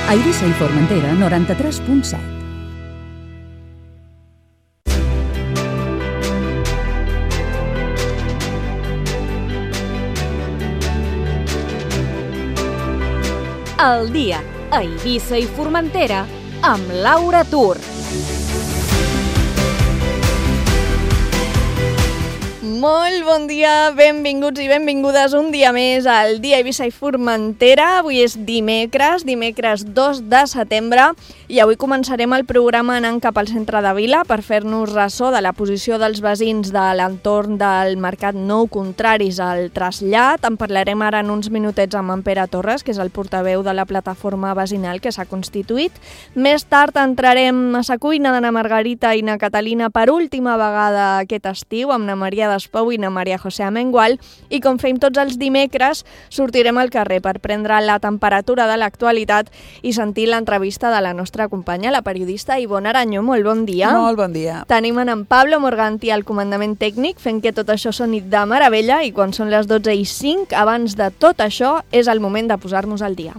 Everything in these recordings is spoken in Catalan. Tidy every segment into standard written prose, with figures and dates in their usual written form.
A Eivissa i Formentera, 93.7. El dia a Eivissa i Formentera amb Laura Tur. Molt bon dia, benvinguts i benvingudes un dia més al dia a Eivissa i Formentera. Avui és dimecres 2 de setembre i avui començarem el programa anant cap al centre de Vila per fer-nos ressò de la posició dels veïns de l'entorn del Mercat Nou contraris al trasllat. En parlarem ara en uns minutets amb en Pere Torres, que és el portaveu de la plataforma veïnal que s'ha constituït. Més tard entrarem a sa cuina d'Anna Margarita i na Catalina per última vegada aquest estiu amb na Maria Despau i na Maria José Amengual, i com fem tots els dimecres sortirem al carrer per prendre la temperatura de l'actualitat i sentir l'entrevista de la nostra companya, la periodista Ivonne Arañó. Molt bon dia. Molt bon dia. Tenim en Pablo Morganti al comandament tècnic fent que tot això soni de meravella, i quan són les 12:05, abans de tot això, és el moment de posar-nos al dia.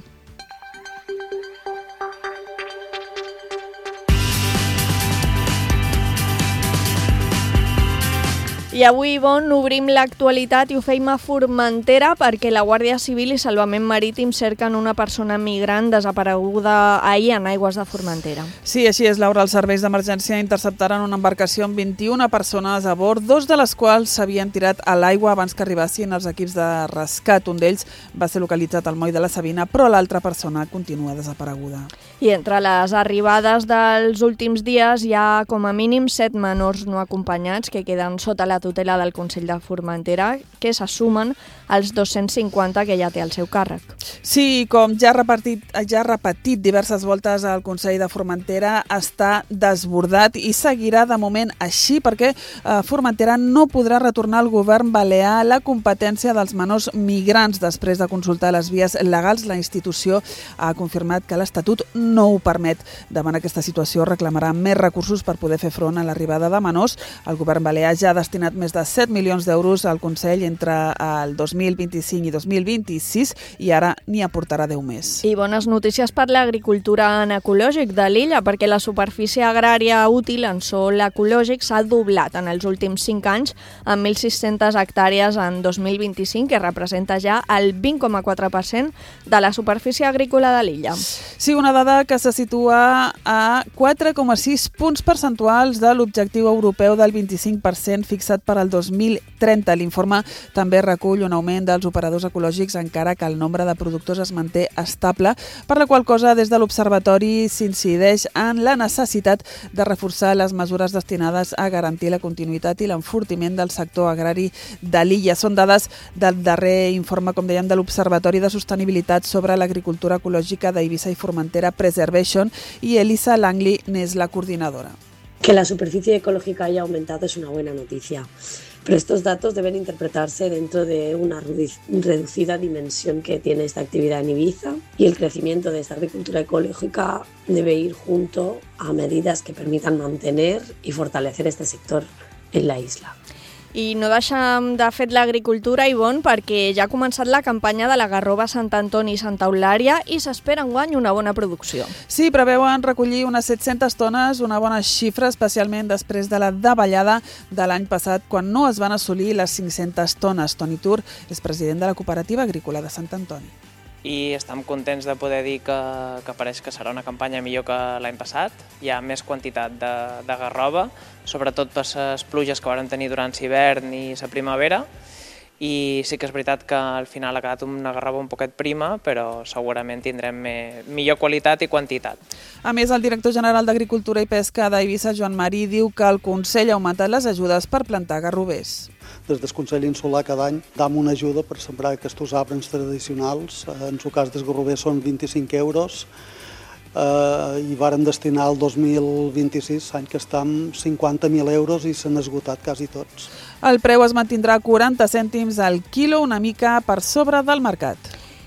I avui, Ivonne, obrim l'actualitat i ho feim a Formentera perquè la Guàrdia Civil i Salvament Marítim cerquen una persona migrant desapareguda ahir en aigües de Formentera. Sí, així és, Laura. Els serveis d'emergència interceptaren una embarcació amb 21 persones a bord, 2 de les quals s'havien tirat a l'aigua abans que arribassin els equips de rescat. Un d'ells va ser localitzat al moll de la Sabina, però l'altra persona continua desapareguda. I entre les arribades dels últims dies hi ha com a mínim 7 menors no acompanyats que queden sota la tutela del Consell de Formentera, que se sumen als 250 que ja té al seu càrrec. Sí, com ja ha repetit diverses voltes el Consell de Formentera, està desbordat i seguirà de moment així perquè Formentera no podrà retornar al govern balear la competència dels menors migrants. Després de consultar les vies legals, la institució ha confirmat que l'Estatut no ho permet. Davant aquesta situació reclamarà més recursos per poder fer front a l'arribada de menors. El govern balear ja ha destinat més de 7 milions d'euros al Consell entre el 2025 i 2026 i ara n'hi aportarà 10 més. I bones notícies per l'agricultura en ecològic de l'illa, perquè la superfície agrària útil en sòl ecològic s'ha doblat en els últims 5 anys amb 1.600 hectàrees en 2025, que representa ja el 20,4% de la superfície agrícola de l'illa. Sí, una dada que se situa a 4,6 punts percentuals de l'objectiu europeu del 25% fixat per al 2030. L'informe també recull un augment dels operadors ecològics, encara que el nombre de productors es manté estable, per la qual cosa des de l'Observatori s'incideix en la necessitat de reforçar les mesures destinades a garantir la continuïtat i l'enfortiment del sector agrari de l'illa. Són dades del darrer informe, com dèiem, de l'Observatori de Sostenibilitat sobre l'Agricultura Ecològica d'Eivissa i Formentera Preservation, i Elisa Langley n'és la coordinadora. Que la superficie ecológica haya aumentado es una buena noticia, pero estos datos deben interpretarse dentro de una reducida dimensión que tiene esta actividad en Ibiza, y el crecimiento de esta agricultura ecológica debe ir junto a medidas que permitan mantener y fortalecer este sector en la isla. I no deixem de fet l'agricultura, Ivonne, perquè ja ha començat la campanya de la garrova Sant Antoni i Santa Eulària i s'espera enguany una bona producció. Sí, preveuen recollir unes 700 tones, una bona xifra, especialment després de la davallada de l'any passat, quan no es van assolir les 500 tones. Toni Tur és president de la Cooperativa Agrícola de Sant Antoni. I estem contents de poder dir que pareix que serà una campanya millor que l'any passat. Hi ha més quantitat de garrova, sobretot per les pluges que vam tenir durant l'hivern i la primavera, i sí que és veritat que al final ha quedat una garrova un poquet prima, però segurament tindrem millor qualitat i quantitat. A més, el director general d'Agricultura i Pesca d'Eivissa, Joan Marí, diu que el Consell ha augmentat les ajudes per plantar garrovers. Des del Consell Insular cada any dam una ajuda per sembrar aquests arbres tradicionals. En el cas dels garrovers són 25 euros i vàrem destinar el 2026, any que estem, 50.000 euros i s'han esgotat quasi tots. El preu es mantindrà a 40 cèntims al quilo, una mica per sobre del mercat.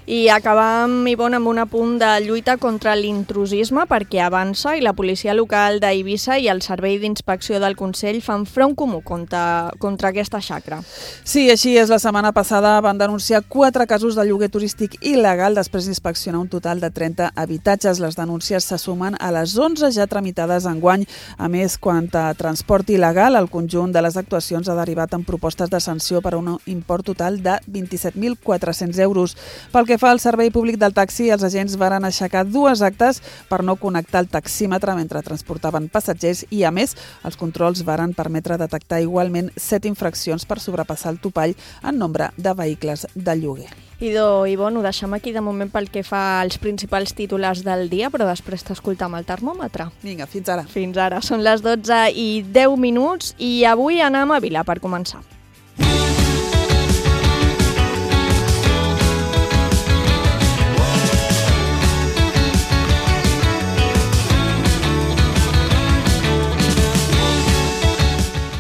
I acabam, Ivonne, amb un apunt de lluita contra l'intrusisme, perquè Avança i la policia local d'Eivissa i el Servei d'Inspecció del Consell fan front comú contra aquesta xacra. Sí, així és. La setmana passada van denunciar 4 casos de lloguer turístic il·legal després d'inspeccionar un total de 30 habitatges. Les denúncies se sumen a les 11 ja tramitades enguany. A més, quant a transport il·legal, el conjunt de les actuacions ha derivat en propostes de sanció per un import total de 27.400 euros. Pel que fa al servei públic del taxi, els agents varen aixecar 2 actes per no connectar el taxímetre mentre transportaven passatgers i, a més, els controls varen permetre detectar igualment 7 infraccions per sobrepassar el topall en nombre de vehicles de lloguer. Idò, Ivonne, ho deixem aquí de moment pel que fa als principals titulars del dia, però després t'escoltam el termòmetre. Vinga, fins ara. Fins ara. Són les 12:10 i avui anem a Vila per començar.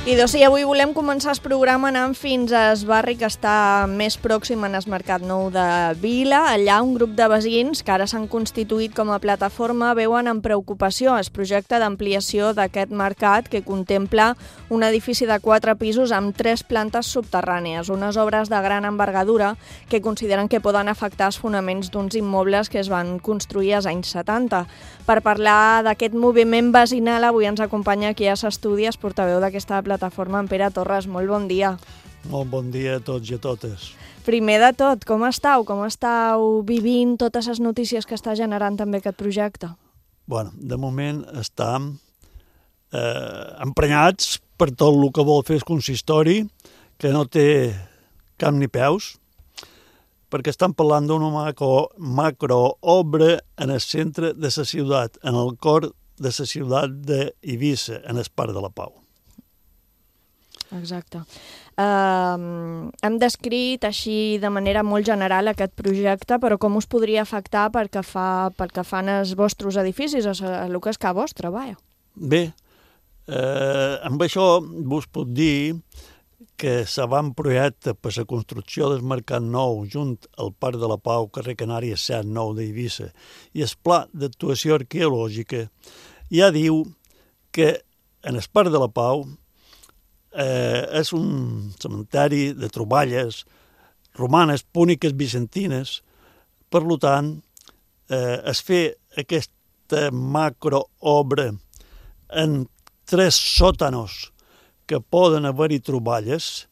I doncs sí, avui volem començar el programa anant fins a Esbarri, que està més pròxim en el Mercat Nou de Vila. Allà un grup de veïns que ara s'han constituït com a plataforma veuen amb preocupació el projecte d'ampliació d'aquest mercat que contempla un edifici de 4 pisos amb 3 plantes subterrànies, unes obres de gran envergadura que consideren que poden afectar els fonaments d'uns immobles que es van construir als anys 70. Per parlar d'aquest moviment veïnal, avui ens acompanya aquí a l'estudi el portaveu d'aquesta plataforma, en Pere Torres. Molt bon dia. Molt bon dia a tots i a totes. Primer de tot, com estàu? Com estàu vivint totes les notícies que està generant també aquest projecte? Bueno, de moment estem emprenyats per tot el que vol fer el consistori, que no té cap ni peus, perquè estan parlant d'una macroobra en el centre de la ciutat, en el cor de la ciutat d'Eivissa, en el Parc de la Pau. Exacte. Hem descrit així de manera molt general aquest projecte, però com us podria afectar pel que fan els vostres edificis, el que és que vostre, vaja? Bé, amb això vos puc dir que l'avantprojecte per la construcció del Mercat Nou junt al Parc de la Pau, carrer Canàries 7-9 d'Eivissa, i el pla d'actuació arqueològica ja diu que en el Parc de la Pau és un cementeri de troballes romanes, púniques, bizantines. Per tant, es fer aquesta macroobra en 3 sòtanos que poden haver-hi troballes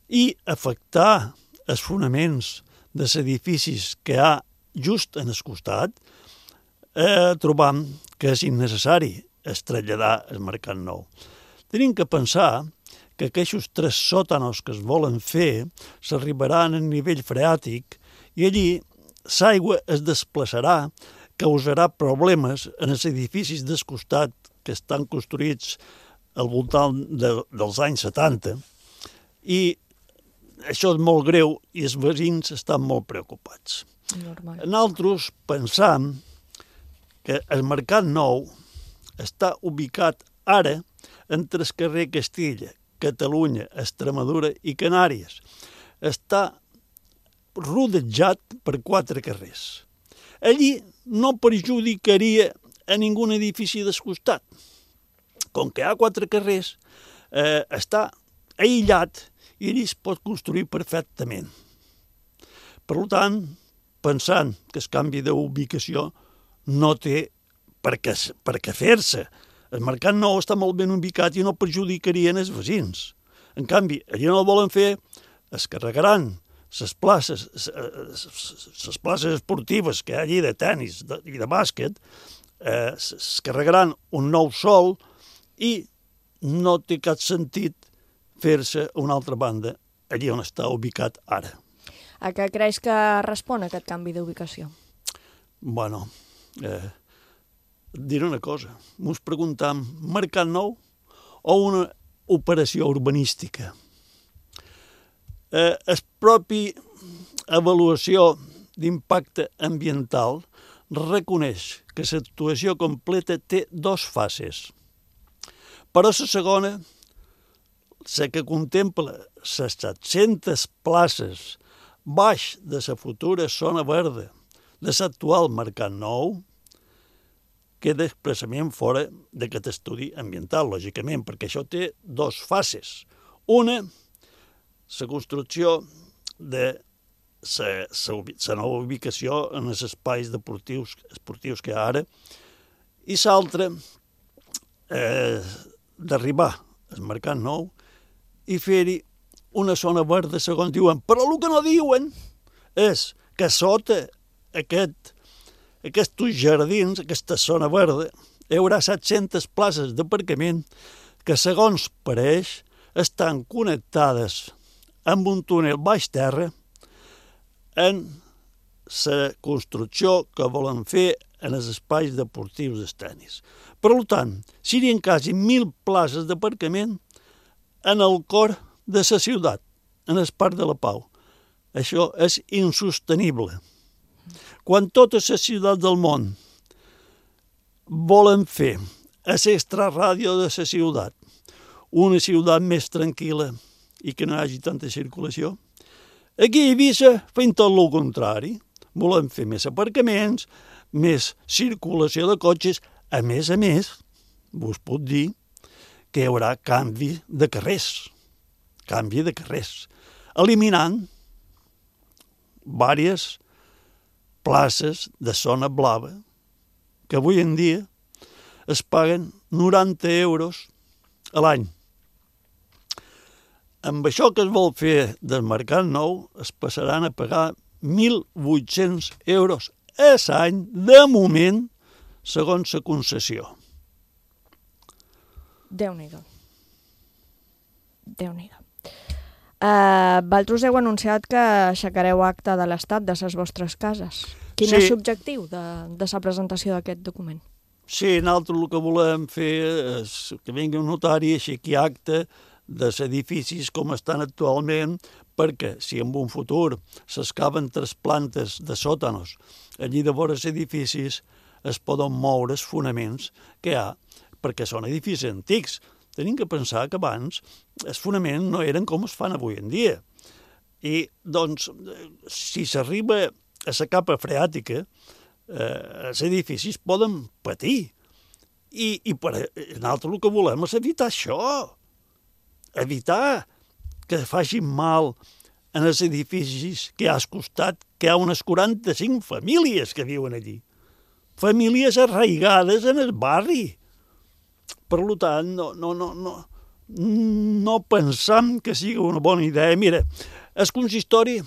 i afectar els fonaments dels edificis que hi ha just en el costat, trobam que és innecessari traslladar el Mercat Nou. Tenim que pensar que aquests 3 sòtanos que es volen fer s'arribaran a nivell freàtic i allí l'aigua es desplaçarà, causarà problemes en els edificis del costat que estan construïts al voltant dels anys 70, i això és molt greu i els veïns estan molt preocupats. Normal. Nosaltres pensam que el Mercat Nou està ubicat ara entre el carrer Castilla, Catalunya, Extremadura i Canàries. Està rodejat per 4 carrers. Allí no perjudicaria a ningú edifici del costat. Com que hi ha 4 carrers, està aïllat i allí es pot construir perfectament. Per tant, pensant que el canvi d'ubicació no té per què fer-se. El Mercat Nou està molt ben ubicat i no perjudicarien els veïns. En canvi, allí no el volen fer, es carregaran les places esportives que hi ha allí de tennis i de bàsquet, es carregaran un nou sòl i no té cap sentit fer-se a una altra banda, allí on està ubicat ara. A què creus que respon aquest canvi d'ubicació? Bueno, diré una cosa. Ens preguntam, Mercat Nou o una operació urbanística? La pròpia avaluació d'impacte ambiental reconeix que l'actuació completa té 2 fases. Però la segona, la que contempla les 700 places baix de la futura zona verda de l'actual Mercat Nou, queda expressament fora d'aquest estudi ambiental, lògicament, perquè això té dues fases. Una, la construcció de la nova ubicació en els espais esportius que hi ha ara, i l'altra, d'arribar al Mercat Nou i fer-hi una zona verda, segons diuen. Però el que no diuen és que sota aquests jardins, aquesta zona verda, hi haurà 700 places d'aparcament que, segons pareix, estan connectades amb un túnel baix terra en la construcció que volen fer en els espais deportius dels tenis. Per tant, serien quasi 1.000 places d'aparcament en el cor de la ciutat, en el Parc de la Pau. Això és insostenible. Quan totes les ciutats del món volen fer a l'extraràdio de la ciutat una ciutat més tranquil·la i que no hi hagi tanta circulació, aquí a Eivissa fem tot el contrari. Volem fer més aparcaments, més circulació de cotxes. A més, vos puc dir que hi haurà canvi de carrers, eliminant diverses places de zona blava que avui en dia es paguen 90 euros a l'any. Amb això que es vol fer del Mercat Nou es passaran a pagar 1.800 euros a l'any, de moment, segons la concessió. Déu-n'hi-do. Vosaltres heu anunciat que aixecareu acte de l'Estat de les vostres cases. Quin és l'objectiu de la presentació d'aquest document? Sí, nosaltres el que volem fer és que vingui un notari i aixequi acte dels edificis com estan actualment, perquè si en un futur s'excaven 3 plantes de sòtanos allí de vora els edificis, es poden moure els fonaments que hi ha, perquè són edificis antics. Tenim que pensar que abans els fonaments no eren com es fan avui en dia. I, doncs, si s'arriba a la capa freàtica, els edificis poden patir. I nosaltres el que volem és evitar això. Evitar que facin mal en els edificis que hi ha al costat, que hi ha unes 45 famílies que viuen allí. Famílies arraigades en el barri. Per tant, no pensam que sigui una bona idea. Mira, el consistori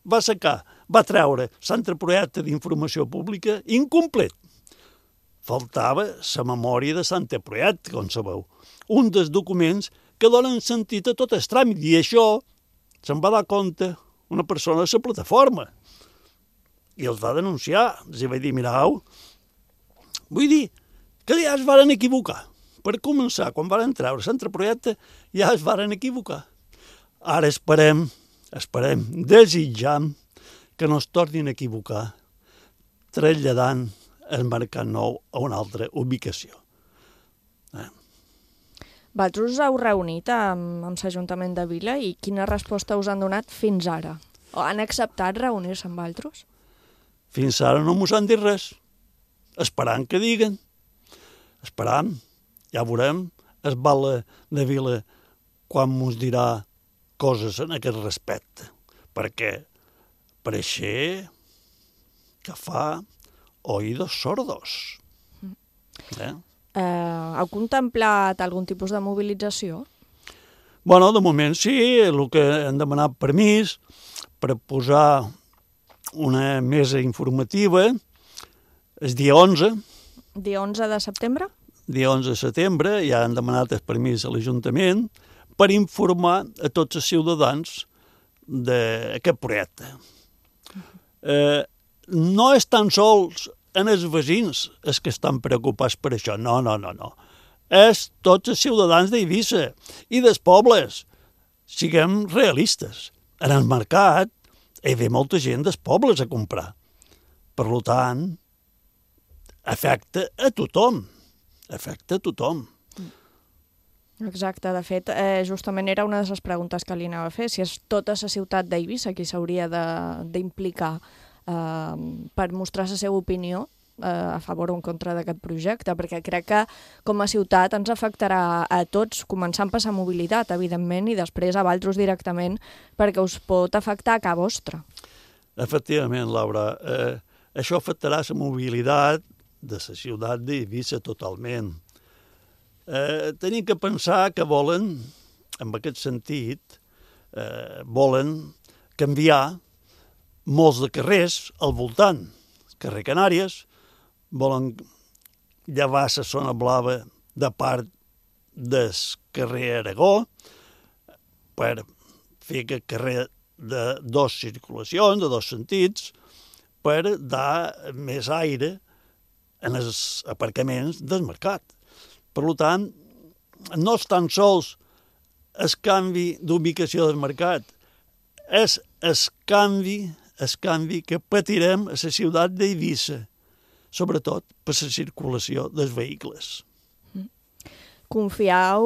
va treure l'anteprojecte d'informació pública incomplet. Faltava la memòria de l'anteprojecte, com sabeu. Un dels documents que donen sentit a tot el tràmit. I això se'n va dar compte una persona de la plataforma. I els va denunciar. Els va dir, mirau, vull dir que ja es varen equivocar. Per començar, quan varen treure l'anteprojecte, ja es varen equivocar. Ara esperem, desitjam que no es tornin a equivocar traslladant el Mercat Nou a una altra ubicació. Vosaltres us heu reunit amb l'Ajuntament de Vila i quina resposta us han donat fins ara? O han acceptat reunir-se amb vosaltres? Fins ara no mos han dit res. Esperant que diguen. Esperam. Ja veurem el Val de Vila quan mos dirà coses en aquest respecte. Perquè pareixer que fa oïdos sordos. Heu contemplat algun tipus de mobilització? Bueno, de moment sí, el que hem demanat permís per posar una mesa informativa el dia 11. Dia 11 de setembre? Dia 11 de setembre, ja han demanat el permís a l'Ajuntament per informar a tots els ciutadans d'aquest projecte. No és tan sols en els veïns els que estan preocupats per això, no. És tots els ciutadans d'Eivissa i dels pobles. Siguem realistes. En el mercat hi ve molta gent dels pobles a comprar. Per tant, afecta a tothom. Exacte, de fet, justament era una de les preguntes que li anava a fer, si és tota la ciutat d'Eivissa qui s'hauria d'implicar per mostrar la seva opinió a favor o en contra d'aquest projecte, perquè crec que com a ciutat ens afectarà a tots, començant per la mobilitat, evidentment, i després a vosaltres directament, perquè us pot afectar a casa vostra. Efectivament, Laura, això afectarà la mobilitat de la ciutat d'Eivissa totalment. Tenim que pensar que volen, en aquest sentit, volen canviar molts de carrers al voltant. Carrer Canàries, volen llevar la zona blava de part del carrer Aragó per fer aquest carrer de dues circulacions, de dos sentits, per dar més aire en els aparcaments del mercat. Per tant, no és tan sols el canvi d'ubicació del mercat, és el canvi que patirem a la ciutat d'Eivissa, sobretot per la circulació dels vehicles. Confiau,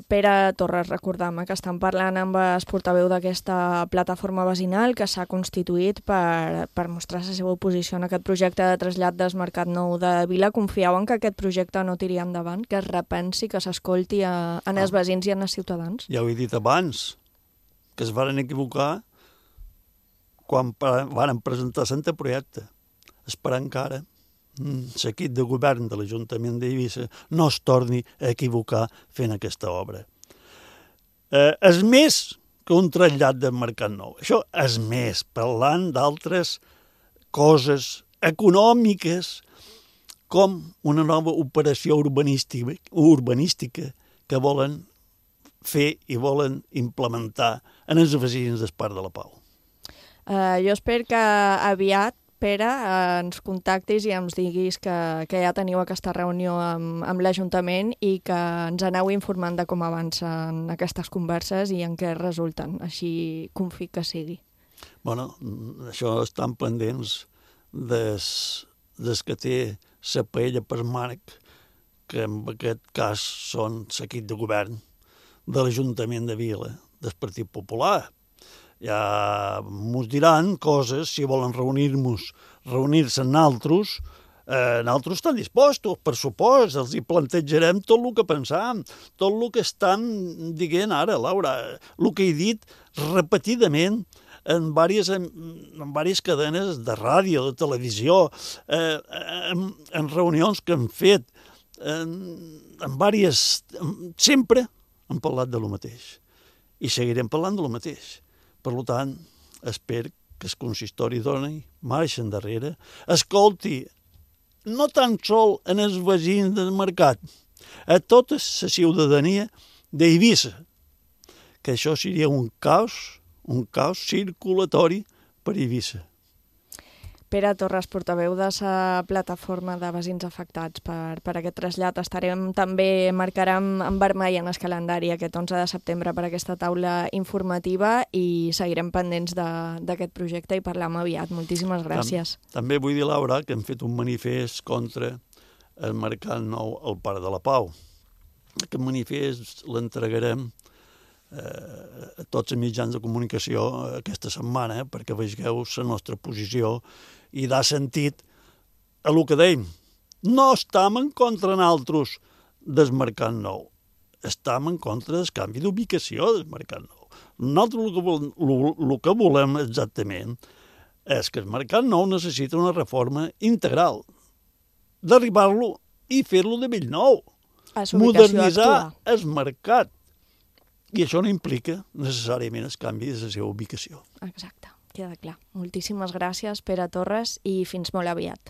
Pere Torres, recordam que estan parlant amb el portaveu d'aquesta plataforma vecinal que s'ha constituït per mostrar la seva oposició en aquest projecte de trasllat del Mercat Nou de Vila. Confiau en que aquest projecte no tiri endavant, que es repensi, que s'escolti en els veïns i en els ciutadans? Ja ho he dit abans, que es van equivocar quan van presentar l'anteprojecte. Esperar encara l'equip de govern de l'Ajuntament d'Eivissa no es torni a equivocar fent aquesta obra. És més que un trasllat del Mercat Nou. Això és més, parlant d'altres coses econòmiques com una nova operació urbanística que volen fer i volen implementar en els veïns del Parc de la Pau. Jo espero que aviat, Pere, ens contactis i ens diguis que ja teniu aquesta reunió amb l'Ajuntament i que ens aneu informant de com avancen aquestes converses i en què resulten. Així confio que sigui. Bueno, això estan pendents des que té la paella per Marc, que en aquest cas són l'equip de govern de l'Ajuntament de Vila, del Partit Popular. Ja mos diran coses, si volen reunir-se amb nosaltres, nosaltres estan dispostos, per supost, els hi plantejarem tot el que pensam, tot el que estan dient ara, Laura, el que he dit repetidament en diverses cadenes de ràdio, de televisió, en reunions que hem fet, sempre hem parlat de lo mateix i seguirem parlant de lo mateix. Per tant, espero que el consistori doni marxa endarrere, escolti, no tan sol en els veïns del mercat, a tota la ciutadania d'Eivissa, que això seria un caos circulatori per Eivissa. Pere Torres, portaveu de la plataforma de veïns afectats per aquest trasllat. També marcarem en vermell en el calendari aquest 11 de setembre per aquesta taula informativa i seguirem pendents d'aquest projecte i parlam aviat. Moltíssimes gràcies. També vull dir, Laura, que hem fet un manifest contra el Mercat Nou al Parc de la Pau. Aquest manifest l'entregarem a tots els mitjans de comunicació aquesta setmana perquè vegeu la nostra posició i dà sentit a el que dèiem. No estem en contra nosaltres del Mercat Nou, estem en contra del canvi d'ubicació del Mercat Nou. Nosaltres el que volem exactament és que el Mercat Nou necessita una reforma integral, d'arribar-lo i fer-lo de bell nou, modernitzar el mercat. I això no implica necessàriament el canvi de la seva ubicació. Exacte, queda clar. Moltíssimes gràcies, Pere Torres, i fins molt aviat.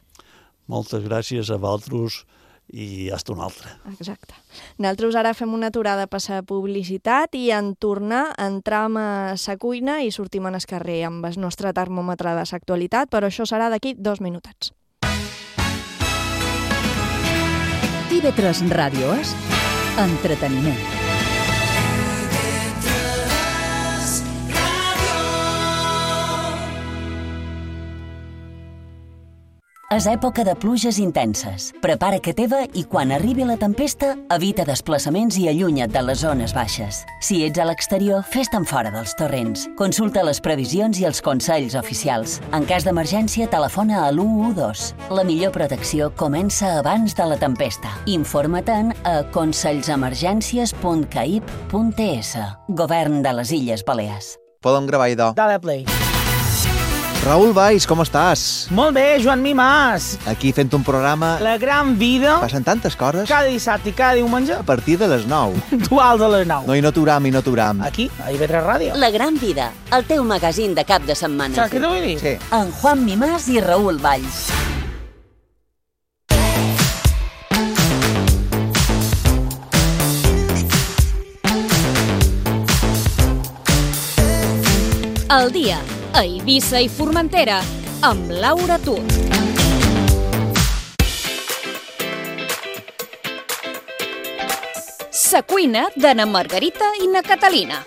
Moltes gràcies a vosaltres i hasta una altra. Exacte. Nosaltres ara fem una aturada per la publicitat i en tornar entram a la cuina i sortim al carrer amb el nostre termòmetre de l'actualitat, però això serà d'aquí 2 minutets. TV3 Ràdio és entreteniment. És època de pluges intenses. Prepara que teva i quan arribi la tempesta, evita desplaçaments i allunya't de les zones baixes. Si ets a l'exterior, fes-te'n fora dels torrents. Consulta les previsions i els consells oficials. En cas d'emergència, telefona a l'112. La millor protecció comença abans de la tempesta. Informa-te'n a consells-emergències.caip.es. Govern de les Illes Balears. Podem gravar, idò. Dale play. Raül Valls, com estàs? Molt bé, Joan Mimàs. Aquí fent un programa... La gran vida. Passen tantes coses. Cada dissabte i cada diumenge. A partir de les 9. Puntuals a les 9. No, i no t'uram. Aquí, a IB3 Ràdio. La gran vida, el teu magazín de cap de setmana. Saps què t'ho vull dir? Sí. En Juan Mimàs i Raül Valls. El dia a Eivissa i Formentera amb Laura Tur. Sa cuina de na Margarita i na Catalina.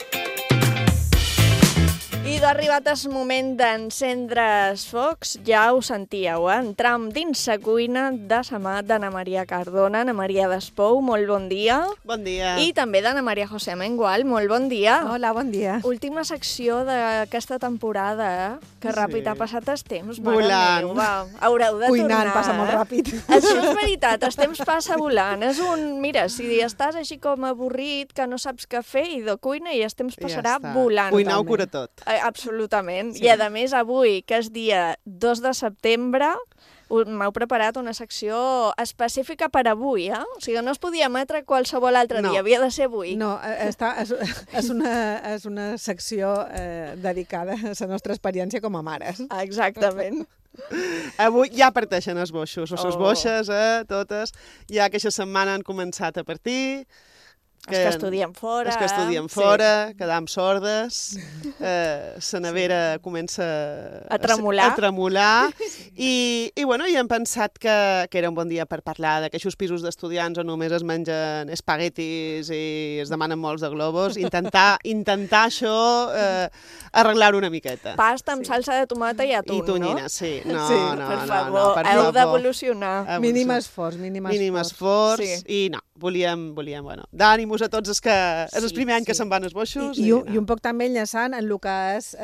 I ha arribat el moment d'encendre els focs, ja ho sentíeu, entram dins la cuina de sa mà d'Anna Maria Cardona, Anna Maria Despou, molt bon dia. Bon dia. I també d'Anna Maria José Mengual, molt bon dia. Hola, bon dia. Última secció d'aquesta temporada, que ràpid ha passat el temps. Volant. Haureu de Cuinant tornar. passa molt ràpid. Això és veritat, el temps passa volant. És mira, si estàs així com avorrit, que no saps què fer, i de cuina i el temps passarà volant. Cuinar ho cura tot. Absolutament. Sí. I a més avui, que és dia 2 de setembre, m'heu preparat una secció específica per avui, O sigui, no es podia emetre qualsevol altre dia, havia de ser avui. No, és una secció dedicada a la nostra experiència com a mares. Exactament. Avui ja parteixen els boixos, o les boixes, totes. Ja aquesta setmana han començat a partir. Els que estudien fora. Els que estudien fora, quedam sordes, la nevera comença a tremolar. I hem pensat que era un bon dia per parlar d'aquests pisos d'estudiants on només es mengen espaguetis i es demanen molts de globus. Intentar això, arreglar-ho una miqueta. Pasta amb salsa de tomata i atún, I tonyina, no? sí. Per favor, heu d'evolucionar. Mínim esforç. Mínim esforç. I no, volíem, d'ànimos a tots els primer any que se'n van els boixos. I un poc també enllaçant en el que és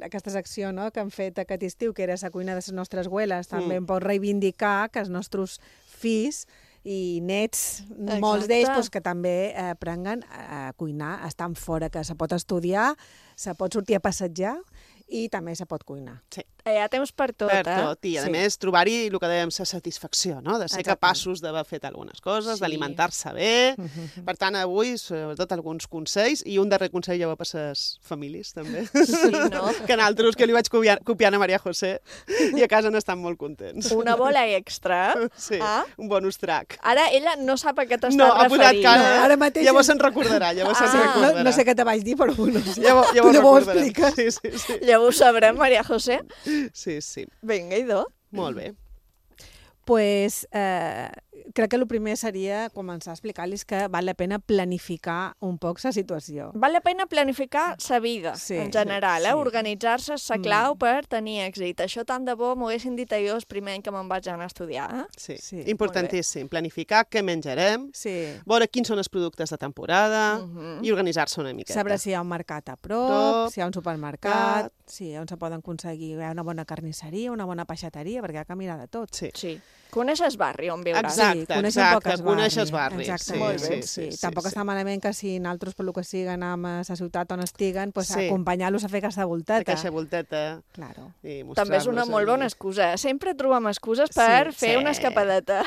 aquesta secció que han fet aquest estiu, que era la cuina de les nostres abueles, també un poc reivindicar que els nostres fills i nets, molts d'ells, que també aprenguen a cuinar, estan fora, que se pot estudiar, se pot sortir a passejar i també se pot cuinar. Sí. Hi ha temps per tot, Per tot, i a més trobar-hi el que dèiem, la satisfacció, no? De ser capaços d'haver fet algunes coses, d'alimentar-se bé. Per tant, avui, sobretot, alguns consells, i un darrer consell ja va per les famílies, també. Sí, no? Que nosaltres, que li vaig copiant a Maria José, i a casa n'estan molt contents. Una bola extra. Sí, un bonus track. Ara ella no sap a què t'estàs referint. No, ha posat cara. Ara mateix... Llavors se'n recordarà, No sé què te vaig dir, però bueno, llavors ho expliques. Sí. Llavors ho sabrem, Maria José. Sí. Vinga, idò. Molt bé. Pues crec que el primer seria començar a explicar-los que val la pena planificar un poc la situació. Val la pena planificar sa vida, en general, organitzar-se és la clau per tenir èxit. Això tant de bo m'ho haguessin dit jo el primer any que me'n vaig anar a estudiar. Sí, importantíssim. Planificar què menjarem, veure quins són els productes de temporada i organitzar-se una miqueta. Saber si hi ha un mercat a prop, si hi ha un supermercat, on se poden aconseguir una bona carnisseria, una bona peixateria, perquè hi ha que mirar de tot. Sí. Coneixes barri on viuràs? Exacte, coneixes barri. Sí. Tampoc està malament que si nosaltres, per lo que sigui, anem a la ciutat on estiguen, acompanyar-los a fer aquesta volteta. Aquesta volteta. Claro. També és una molt bona excusa. Sempre trobem excuses per fer una escapadeta.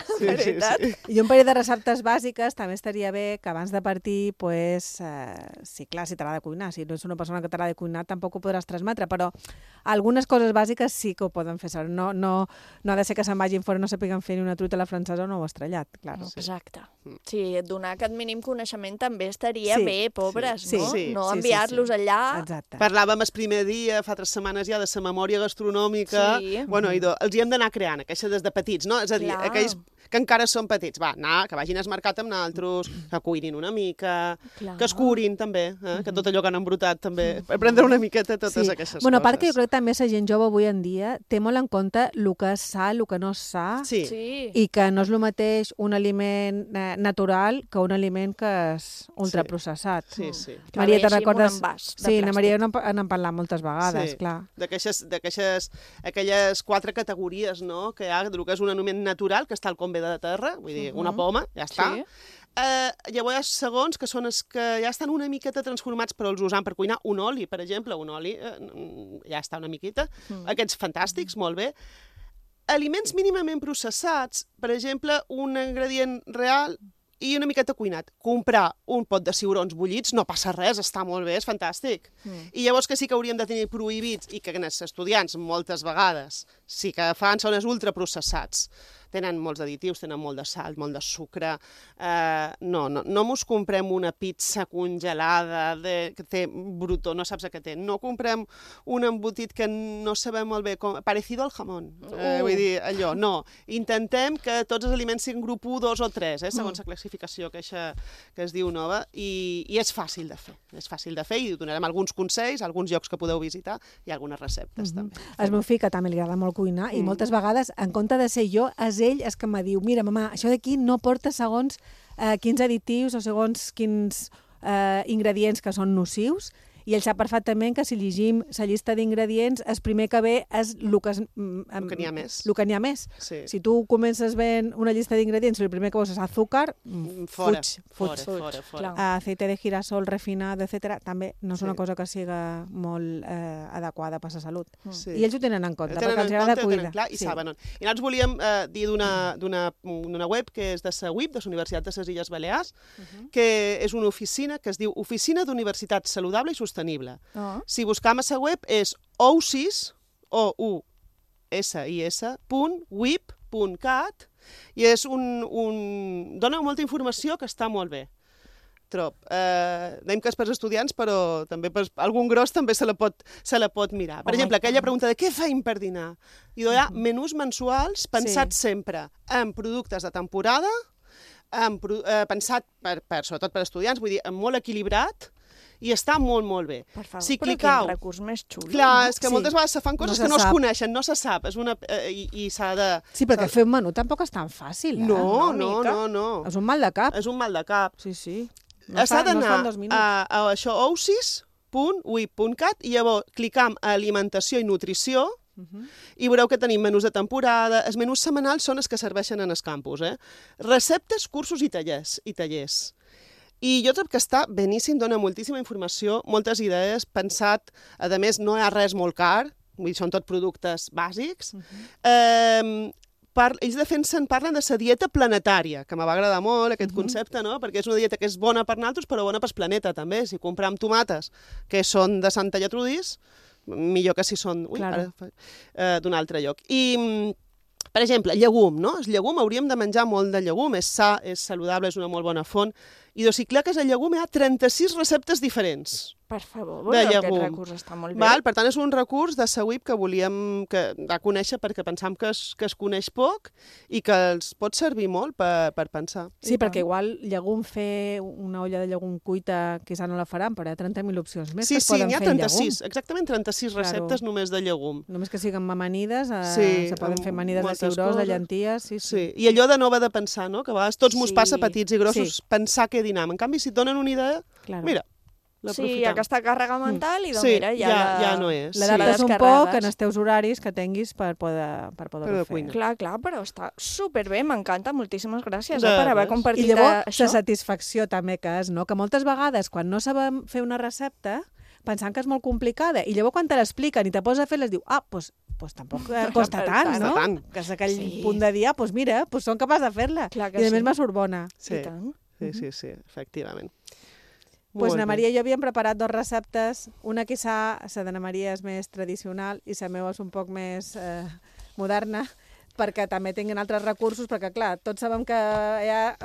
I un parell de receptes bàsiques també estaria bé que abans de partir, sí, clar, si t'agrada cuinar. Si no ets una persona que t'agrada cuinar, tampoc ho podràs transmetre, però algunes coses bàsiques sí que ho poden fer saber. No ha de ser que se'n vagin fora, no sapiguen fer ni una truita a la francesa o no ho estrellat, clar. Exacte. Sí, donar aquest mínim coneixement també estaria bé, pobres, no? No enviar-los allà... Exacte. Parlàvem el primer dia, fa 3 setmanes ja, de la memòria gastronòmica. Bueno, els hi hem d'anar creant, aquesta des de petits, no? És a dir, aquells que encara són petits, que vagin al mercat amb naltros, que cuinin una mica, que es curin també, que tot allò que han embrutat també, prendre una miqueta totes aquestes coses. Bueno, a part que jo crec que també la gent jove avui en dia té molt en compte el que és sa, el que no és sa, i que no és el mateix un aliment natural que un aliment que és ultraprocessat. Maria, te recordes? Sí, na Maria n'hem parlat moltes vegades, clar. Aquelles 4 categories, no?, que hi ha, del que és un aliment natural, que està al com ve de terra, vull dir, una poma, ja està. Llavors hi ha segons que són els que ja estan una miqueta transformats, però els usam per cuinar un oli, per exemple, un oli ja està una miqueta. Aquests fantàstics, molt bé. Aliments mínimament processats, per exemple, un ingredient real i una miqueta cuinat. Comprar un pot de ciurons bullits no passa res, està molt bé, és fantàstic. I llavors que sí que hauríem de tenir prohibits i que els estudiants moltes vegades sí que fan són els ultraprocessats. Tenen molts additius, tenen molt de sal, molt de sucre. No mos comprem una pizza congelada que té brutó, no saps què té. No comprem un embotit que no sabem molt bé, parecido al jamón. Vull dir, allò, no. Intentem que tots els aliments siguin grup 1, 2 o 3, segons la classificació que es diu nova, i és fàcil de fer. És fàcil de fer i donarem alguns consells, alguns llocs que podeu visitar i algunes receptes també. El meu fill, que també li agrada molt cuinar, i moltes vegades, en compte de ser jo, ell és que em diu, mira, mamà, això d'aquí no porta segons quins additius o segons quins ingredients que són nocius, i ell sap perfectament que si llegim la llista d'ingredients, el primer que ve és el que n'hi ha més. Si tu comences veient una llista d'ingredients i el primer que veus és azúcar, fuig. Aceite de girasol refinat, etc. també no és una cosa que siga molt adequada per la salut. I ells ho tenen en compte, perquè els agrada cuidar. I saben. I nosaltres volíem dir d'una web que és de la UIB, de la Universitat de les Illes Balears, que és una oficina que es diu Oficina d'Universitat Saludable i Sostenible. Si buscam a la web és ousis, ousis.wip.cat, i dona molta informació que està molt bé. Dèiem que és per estudiants, però també per algun gros també se la pot mirar. Per exemple, aquella pregunta de què feim per dinar? I hi ha menús mensuals pensats sempre en productes de temporada, pensat sobretot per estudiants, vull dir, molt equilibrat, i està molt, molt bé. Per favor, però quin recurs més xulo. Clar, és que moltes vegades se fan coses que no es coneixen, no se sap, i s'ha de... Sí, perquè fer un menú tampoc és tan fàcil, No. És un mal de cap. És un mal de cap. Sí. S'ha d'anar a això, ousis.wip.cat, i llavors clicam a alimentació i nutrició, i veureu que tenim menús de temporada. Els menús setmanals són els que serveixen en els campus. Receptes, cursos i tallers. I jo trobo que està beníssim, dona moltíssima informació, moltes idees, pensat, a més no hi ha res molt car, són tot productes bàsics. Ells parlen de la dieta planetària, que m'ha agradat molt aquest concepte, no? Perquè és una dieta que és bona per nosaltres, però bona pel planeta també. Si compram tomates que són de Santa Gertrudis, millor que si són d'un altre lloc. I, per exemple, llegum, no? El llegum, hauríem de menjar molt de llegum, és sa, és saludable, és una molt bona font. I si cliques a llegum hi ha 36 receptes diferents. Per favor, aquest recurs està molt bé. Per tant, és un recurs de la UIB que volíem conèixer perquè pensam que es coneix poc i que els pot servir molt per pensar. Sí, perquè igual llegum, fer una olla de llegum cuita, quizà no la faran, però hi ha 30.000 opcions més que es poden fer en llegum. Exactament 36 receptes només de llegum. Només que siguin amanides, se poden fer amanides de ciurós, de llenties. Sí, i allò de no haver de pensar, no? Que a vegades tots mos passa petits i grossos pensar què dinam. En canvi, si et donen una idea, mira, sí, hi ha aquesta càrrega mental i mira, ja no és. L'adaptes un poc en els teus horaris que tinguis per poder-ho fer. Clar, però està superbé, m'encanta, moltíssimes gràcies per haver compartit això. I llavors, la satisfacció també que és, no? Que moltes vegades, quan no sabem fer una recepta, pensant que és molt complicada, i llavors quan te l'expliquen i te poses a fer-la, diu, doncs tampoc costa tant, no? Que és aquell punt de dir, doncs mira, som capaç de fer-la. I a més me surt bona. Sí, efectivament. Doncs na Maria i jo havíem preparat 2 receptes. Una quizà, la de na Maria és més tradicional i la meva és un poc més moderna. perquè també tinguin altres recursos, perquè clar, tots sabem que hi ha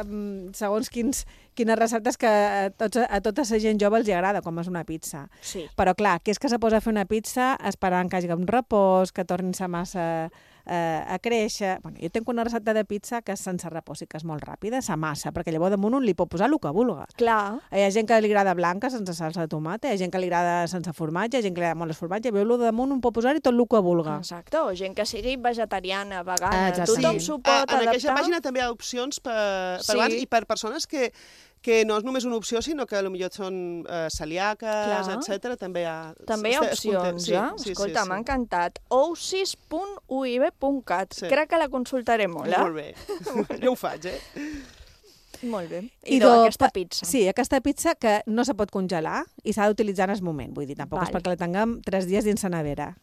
segons quines receptes que a tota la gent jove els agrada, com és una pizza. Sí. Però clar, que és que se posa a fer una pizza esperant que hi hagi un repòs, que torni la massa a créixer. Bueno, jo tinc una recepta de pizza que és sense repòs i que és molt ràpida, la massa, perquè llavors damunt un li pot posar el que vulga. Clar. Hi ha gent que li agrada blanca sense salsa de tomata, hi ha gent que li agrada sense formatge, hi ha gent que li agrada molt el formatge, i el damunt un pot posar-hi tot el que vulga. Exacte, o gent que sigui vegetariana, vegana, Exactament. tothom s'ho pot adaptar. En aquesta pàgina també hi ha opcions per abans i per persones que no és només una opció, sinó que potser són celíaques, etc. També hi ha opcions, Escolta, m'ha encantat. ousis.uib.cat. Crec que la consultaré molt, Molt bé. Jo ho faig, Molt bé. I aquesta pizza. Sí, aquesta pizza que no se pot congelar i s'ha d'utilitzar en el moment. Vull dir, tampoc és perquè la tinguem 3 dies dins la nevera.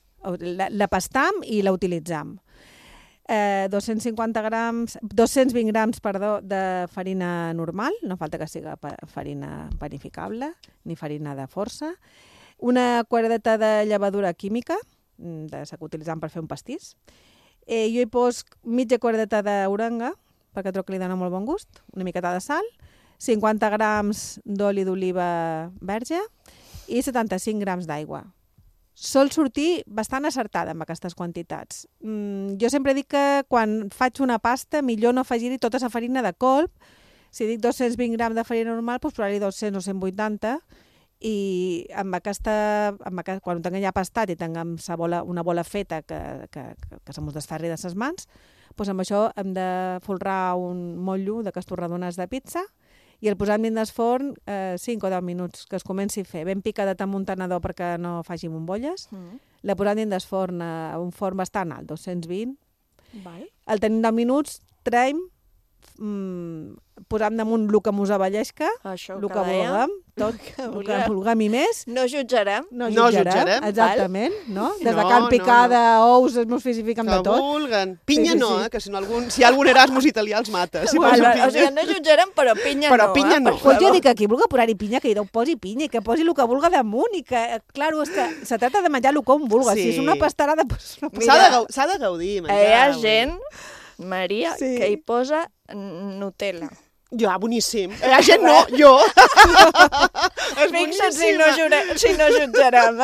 La pastam i la utilitzam. 220 grams de farina normal, no falta que sigui farina panificable, ni farina de força, una quadradeta de llevadura química, de la que utilitzam per fer un pastís. Jo hi poso mitja quadradeta d'orenga, perquè trobo que li dona molt bon gust, una miqueta de sal, 50 grams d'oli d'oliva verge i 75 grams d'aigua. Sol sortir bastant acertada amb aquestes quantitats. Jo sempre dic que quan faig una pasta millor no afegir-hi tota la farina de colp. Si dic 220 grams de farina normal, doncs posar-hi 200 o 180 i quan ho tinguem ja pastat i tinguem una bola feta que se mos desferri de les mans, doncs amb això hem de folrar un motllo d'aquestos rodonats de pizza i el posam dins del forn 5 o 10 minuts, que es comenci a fer ben picadet amb un tenedor perquè no faci bombolles. La posam dins del forn a un forn bastant alt, 220. El tenim 10 minuts, traiem, posam damunt el que mos avellesca, el que vulguem, tot el que vulguem i més. No jutjarem. No jutjarem. Exactament, no? Des de carn picada, ous, es mosfifiquen de tot. Que vulguen. Pinya no, que si hi ha algun Erasmus italià els mata. O sigui, no jutjarem, però pinya no. Però pinya no. Pues jo dic que qui vulgui posar-hi pinya, que hi posi pinya, i que posi el que vulgui damunt, i que, clar, és que se tracta de menjar el que un vulgui. Si és una pastarada, doncs no passa. S'ha de gaudir, menjar. Hi ha gent, Maria, que hi posa Nutella. Ja, boníssim. Hi ha gent no, jo. Fixa't si no jutjarem,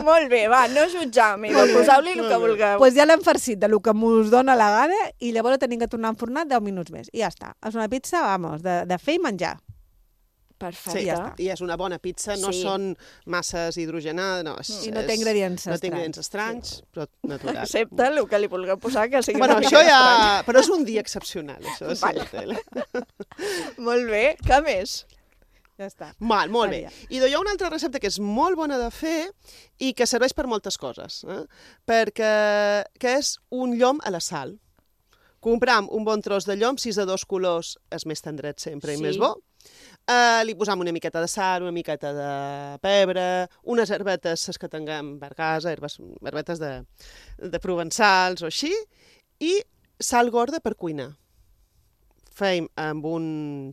Molt bé, va, no jutjam, poseu-li el que vulgueu. Doncs ja l'hem farcit del que mos dona la gana i llavors tenim que tornar a enfornar 10 minuts més. I ja està. És una pizza, vamos, de fer i menjar. Perfecte. Sí, ja està. I és una bona pizza, no són masses hidrogenades. I no té ingredients estranys. No té ingredients estranys, però natural. Excepte el que li vulgueu posar, que sigui una mica estrany. Però és un dia excepcional, això. Molt bé, què més? Ja està. Molt bé. I hi ha una altra recepta que és molt bona de fer i que serveix per moltes coses, perquè és un llom a la sal. Compram un bon tros de llom, si és de 2 colors és més tendret sempre i més bo. Li posam una miqueta de sal, una miqueta de pebre, unes herbetes que tinguem per casa, herbetes de provençals o així, i sal gorda per cuinar. Fem amb un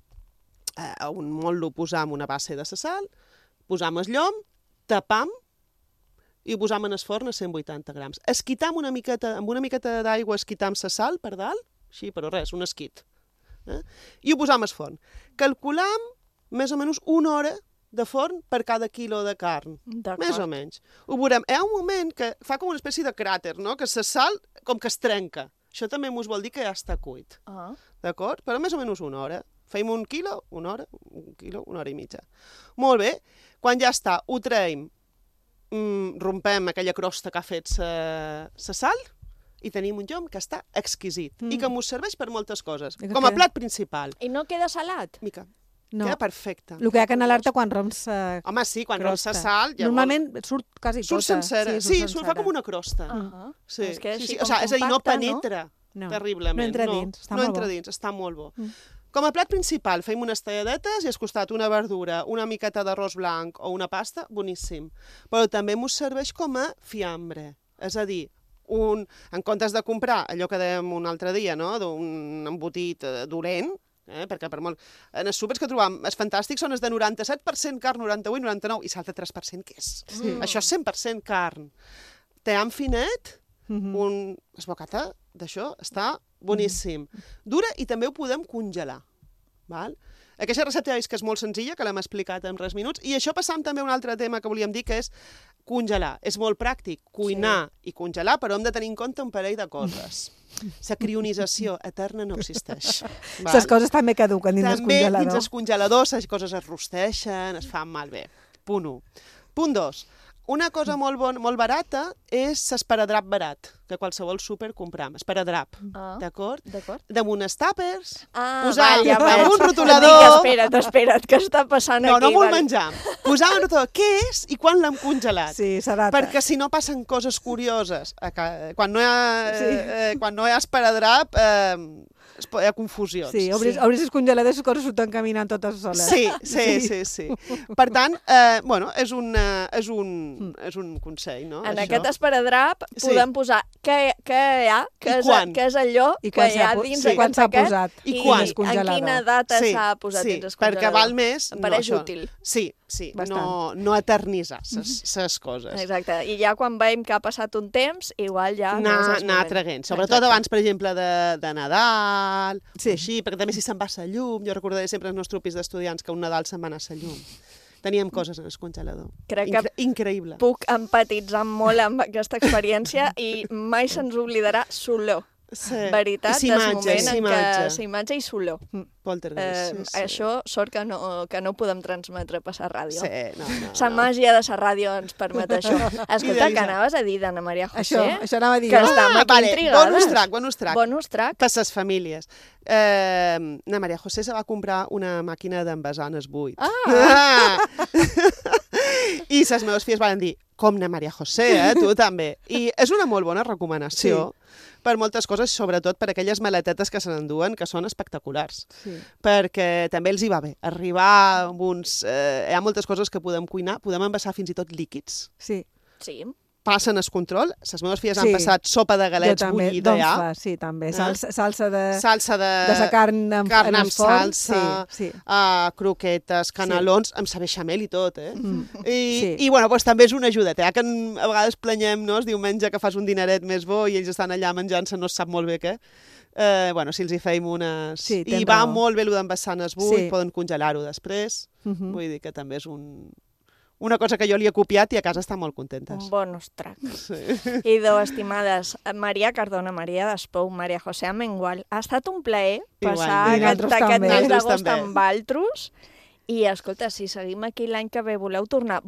motlle, posam una base de la sal, posam el llom, tapam i ho posam en el forn a 180 grams. Esquitam amb una miqueta d'aigua, esquitam la sal per dalt, així, però res, un esquit. I ho posam al forn. Calculam més o menys 1 hora de forn per cada quilo de carn. Més o menys. Ho veurem. Hi ha un moment que fa com una espècie de cràter, no? Que la sal com que es trenca. Això també us vol dir que ja està cuit. D'acord? Però més o menys 1 hora. Fem 1 quilo, 1 hora, 1 quilo, 1 hora i mitja. Molt bé. Quan ja està, ho traiem, rompem aquella crosta que ha fet la sal i tenim un llom que està exquisit i que ens serveix per moltes coses, com a plat principal. I no queda salat? Mica. Queda perfecte. El que hi ha que anar-te quan romps home, sí, quan romps la sal... Normalment surt quasi tota. Surt sencera. Sí, fa com una crosta. Sí. O sigui, és a dir, no penetra terriblement. No entra dins. No entra dins, està molt bo. Com a plat principal fem unes talladetes i al costat una verdura, una miqueta d'arròs blanc o una pasta, boníssim. Però també ens serveix com a fiambre. És a dir, en comptes de comprar allò que dèiem un altre dia, no? D'un embotit dolent, perquè per molt... En els súpers que trobam, els fantàstics són els de 97% carn, 98, 99, i l'altre 3% què és? Això és 100% carn. Team finet, un esbocata d'això està boníssim. Dura i també ho podem congelar. Val? Aquesta recepta és que és molt senzilla, que l'hem explicat en res minuts, i això passam també a un altre tema que volíem dir, que és congelar. És molt pràctic, cuinar i congelar, però hem de tenir en compte un parell de coses. La crionització eterna no existeix. Les coses també caduquen dins el congelador. També dins el congelador les coses es rosteixen, es fan malbé. Punt 1. Punt 2. Una cosa molt barata és l'esparadrap barat, que qualsevol súper compram. Esparadrap, d'acord? Damunt els tàpers, posar amb un rotulador... Espera't, què està passant aquí? No vull menjar. Posar un rotulador, què és i quan l'hem congelat? Sí, s'adapta. Perquè si no passen coses curioses. Quan no hi ha esparadrap, hi ha confusions. Sí, obris els congeladors i les coses surten caminant totes soles. Sí. Per tant, és un consell, no? En aquest esparadrap podem posar què hi ha, què és allò que hi ha dins quan s'ha posat i quan. En quina data s'ha posat dins el congelador. Perquè val més... Em pareix útil. Sí, no eternitzar les coses. Exacte, i ja quan veiem que ha passat un temps, igual ja... Anar traguent, sobretot abans, per exemple, de Nadal, així, perquè també si se'n va a la llum, jo recordaré sempre el nostre pis d'estudiants que un Nadal se'n va anar a la llum. Teníem coses en el congelador. Crec que increïble. Puc empatitzar molt amb aquesta experiència i mai se'ns oblidarà l'olor. Veritat, des moment en què s'imatge i l'olor. Això sort que no podem transmetre per la ràdio. La màgia de la ràdio ens permet això. Escolta, què anaves a dir d'Anna Maria José? Això anava a dir. Que estem aquí intrigades. Bonus track. Per les famílies. Anna Maria José se va comprar una màquina d'envasar en el buit. I les meves filles van dir, com Anna Maria José, tu també. I és una molt bona recomanació per moltes coses, sobretot per aquelles maletetes que se n'enduen, que són espectaculars. Perquè també els hi va bé. Arribar amb uns... hi ha moltes coses que podem cuinar, podem envasar fins i tot líquids. Sí. Passen el control. Les meves filles han passat sopa de galets bullida ja. Sí, també. Salsa de la carn amb salsa, croquetes, canelons, amb sa bechamel i tot, I bueno, també és una ajudeta, que a vegades planyem, no?, el diumenge que fas un dineret més bo i ells estan allà menjant-se, no es sap molt bé què. Si els hi feim unes... I va molt bé el d'envasar en el buit, poden congelar-ho després. Vull dir que també és una cosa que jo li he copiat i a casa estan molt contentes. Un bonus track. I estimades, Maria Cardona, Maria Despou, Maria José Amengual, ha estat un plaer passar aquest mes d'agost amb Valtros. I, escolta, si seguim aquí l'any que ve, voleu tornar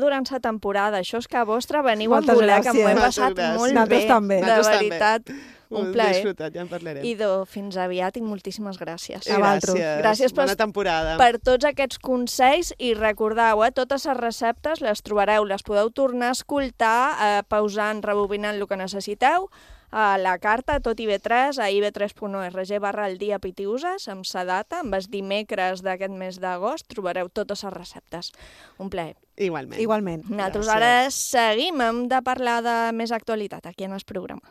durant la temporada. Això és que a vostre veniu amb voler, que m'ho he passat molt bé. De veritat, un plaer. Disfrutat, ja en parlarem. I fins aviat i moltíssimes gràcies. Gràcies. Bona temporada. Per tots aquests consells i recordeu, totes les receptes les trobareu, les podeu tornar a escoltar, pausant, rebobinant el que necessiteu, a la carta tot IB3 a ib3.org/el-dia-pitiuses amb sa data, amb els dimecres d'aquest mes d'agost trobareu totes les receptes. Un plaer. Igualment. Nosaltres ara seguim, hem de parlar de més actualitat aquí en el programa.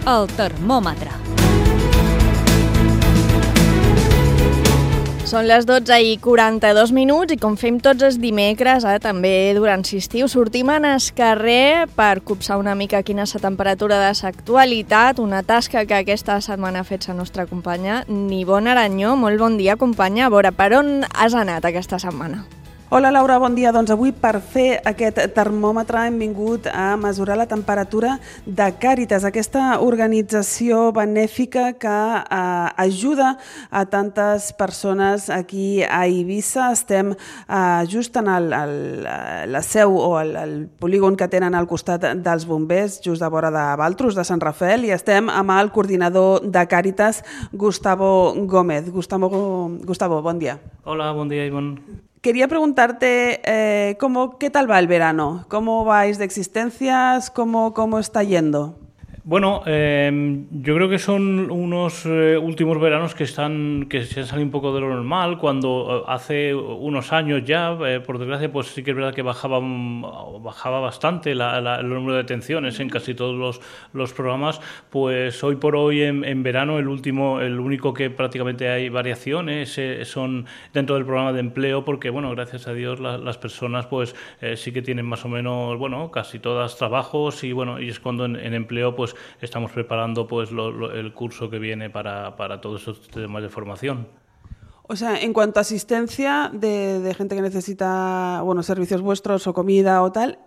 El termòmetre. Són les 12:42 i com fem tots els dimecres, també durant l'estiu, sortim en el carrer per copsar una mica quina és la temperatura de l'actualitat, una tasca que aquesta setmana ha fet la nostra companya Nivonne Aranyó. Molt bon dia, companya. A veure, per on has anat aquesta setmana? Hola Laura, bon dia. Doncs avui per fer aquest termòmetre hem vingut a mesurar la temperatura de Càritas, aquesta organització benèfica que ajuda a tantes persones aquí a Eivissa. Estem just en la seu o el polígon que tenen al costat dels bombers, just a vora de Valtros, de Sant Rafael, i estem amb el coordinador de Càritas, Gustavo Gómez. Gustavo, bon dia. Hola, bon dia, Ivonne. Quería preguntarte ¿qué tal va el verano? ¿Cómo vais de existencias? ¿Cómo está yendo? Bueno, yo creo que son unos últimos veranos que se han salido un poco de lo normal, cuando hace unos años ya, por desgracia, pues sí que es verdad que bajaba bastante el número de detenciones en casi todos los programas. Pues hoy por hoy en verano el único que prácticamente hay variaciones son dentro del programa de empleo, porque bueno, gracias a Dios las personas pues sí que tienen más o menos, bueno, casi todas trabajos, y bueno, y es cuando en empleo pues estamos preparando pues el curso que viene para todos esos temas de formación. O sea, en cuanto a asistencia de gente que necesita, bueno, servicios vuestros o comida o tal,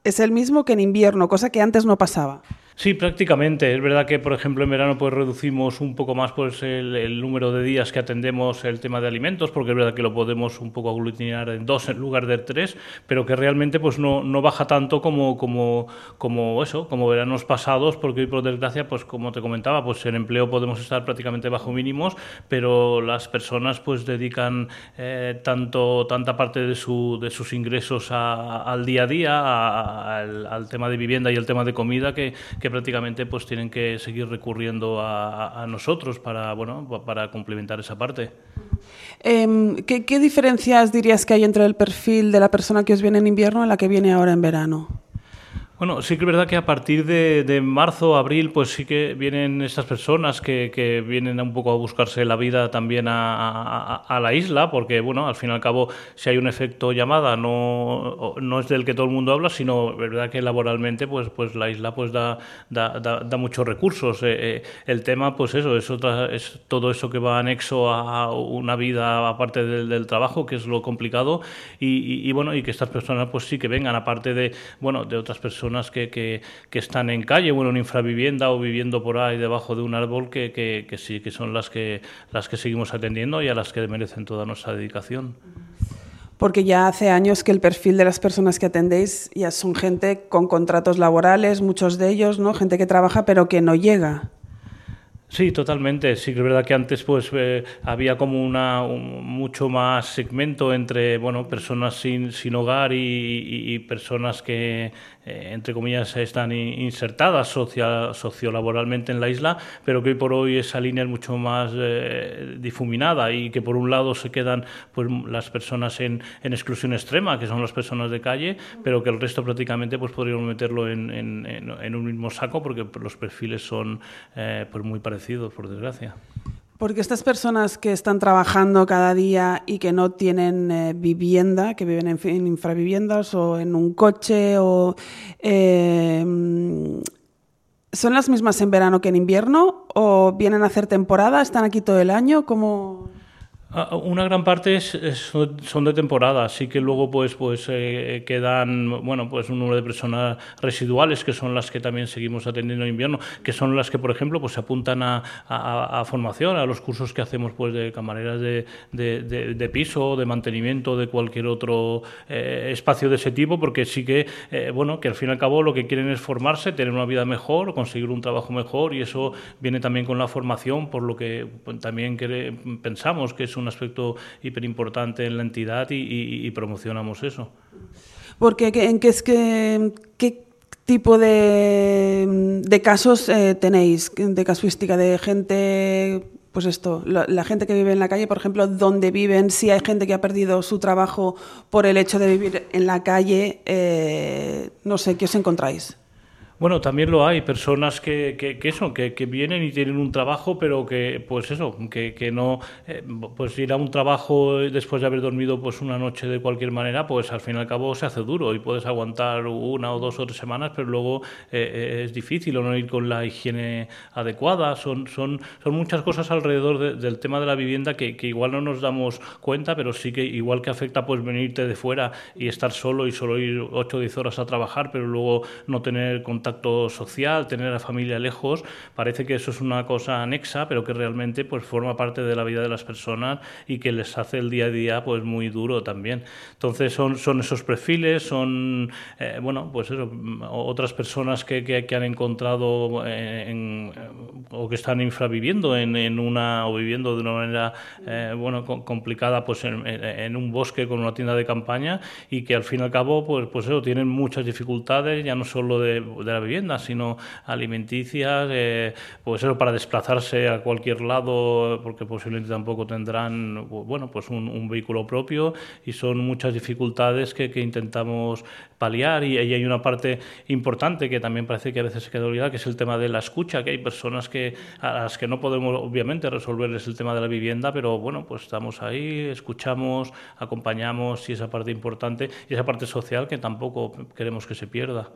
es el mismo que en invierno, cosa que antes no pasaba. Sí, prácticamente. Es verdad que, por ejemplo, en verano pues reducimos un poco más pues el número de días que atendemos el tema de alimentos, porque es verdad que lo podemos un poco aglutinar en 2 en lugar de 3, pero que realmente pues no baja tanto como veranos pasados, porque hoy por desgracia, pues como te comentaba, pues en empleo podemos estar prácticamente bajo mínimos, pero las personas pues dedican tanta parte de sus ingresos al día a día, al tema de vivienda y el tema de comida, que prácticamente pues tienen que seguir recurriendo a nosotros para complementar esa parte. ¿Qué diferencias dirías que hay entre el perfil de la persona que os viene en invierno y la que viene ahora en verano? Bueno, sí que es verdad que a partir de marzo, abril, pues sí que vienen estas personas que vienen un poco a buscarse la vida también a la isla, porque, bueno, al fin y al cabo, si hay un efecto llamada, no es del que todo el mundo habla, sino es verdad que laboralmente, pues la isla pues da muchos recursos. El tema, pues eso, es todo eso que va anexo a una vida aparte del trabajo, que es lo complicado, y que estas personas pues sí que vengan, aparte de otras personas que están en calle, en infravivienda o viviendo por ahí debajo de un árbol, que sí que son las que seguimos atendiendo y a las que merecen toda nuestra dedicación. Porque ya hace años que el perfil de las personas que atendéis ya son gente con contratos laborales, muchos de ellos, ¿no? Gente que trabaja pero que no llega. Sí, totalmente. Sí que es verdad que antes pues había como mucho más segmento entre personas sin hogar y personas que entre comillas están insertadas sociolaboralmente en la isla, pero que hoy por hoy esa línea es mucho más difuminada, y que por un lado se quedan pues las personas en exclusión extrema, que son las personas de calle, pero que el resto prácticamente pues podríamos meterlo en un mismo saco, porque los perfiles son pues muy parecidos, por desgracia. Porque estas personas que están trabajando cada día y que no tienen vivienda, que viven en infraviviendas o en un coche, ¿son las mismas en verano que en invierno? ¿O vienen a hacer temporada? ¿Están aquí todo el año? ¿Cómo...? Una gran parte son de temporada, así que luego pues quedan pues un número de personas residuales, que son las que también seguimos atendiendo en invierno, que son las que, por ejemplo, pues se apuntan a formación, a los cursos que hacemos pues de camareras de piso, de mantenimiento, de cualquier otro espacio de ese tipo, porque sí que que al fin y al cabo lo que quieren es formarse, tener una vida mejor, conseguir un trabajo mejor, y eso viene también con la formación, por lo que también pensamos que es un aspecto hiperimportante en la entidad, y promocionamos eso. Porque ¿qué tipo de casos tenéis, de casuística de gente, pues esto, la gente que vive en la calle, por ejemplo, dónde viven, si hay gente que ha perdido su trabajo por el hecho de vivir en la calle, no sé, ¿qué os encontráis? Bueno, también lo hay, personas que vienen y tienen un trabajo, pero que no, pues ir a un trabajo después de haber dormido pues una noche de cualquier manera, pues al fin y al cabo se hace duro, y puedes aguantar 1 o 2 o 3 semanas, pero luego es difícil, o no ir con la higiene adecuada. Son muchas cosas alrededor del tema de la vivienda que igual no nos damos cuenta, pero sí que igual que afecta pues venirte de fuera y estar solo, y solo ir 8 o 10 horas a trabajar, pero luego no tener contacto social, tener a la familia lejos. Parece que eso es una cosa anexa, pero que realmente pues forma parte de la vida de las personas, y que les hace el día a día pues muy duro también. Entonces son esos perfiles, son otras personas que han encontrado o que están infraviviendo o viviendo de una manera complicada pues en un bosque con una tienda de campaña, y que al fin y al cabo pues eso, tienen muchas dificultades, ya no solo de la vivienda, sino alimenticias, pues eso, para desplazarse a cualquier lado, porque posiblemente tampoco tendrán, bueno, pues un vehículo propio, y son muchas dificultades que intentamos paliar, y hay una parte importante que también parece que a veces se queda olvidada, que es el tema de la escucha, que hay personas a las que no podemos obviamente resolverles el tema de la vivienda, pero bueno, pues estamos ahí, escuchamos, acompañamos, y esa parte importante y esa parte social que tampoco queremos que se pierda.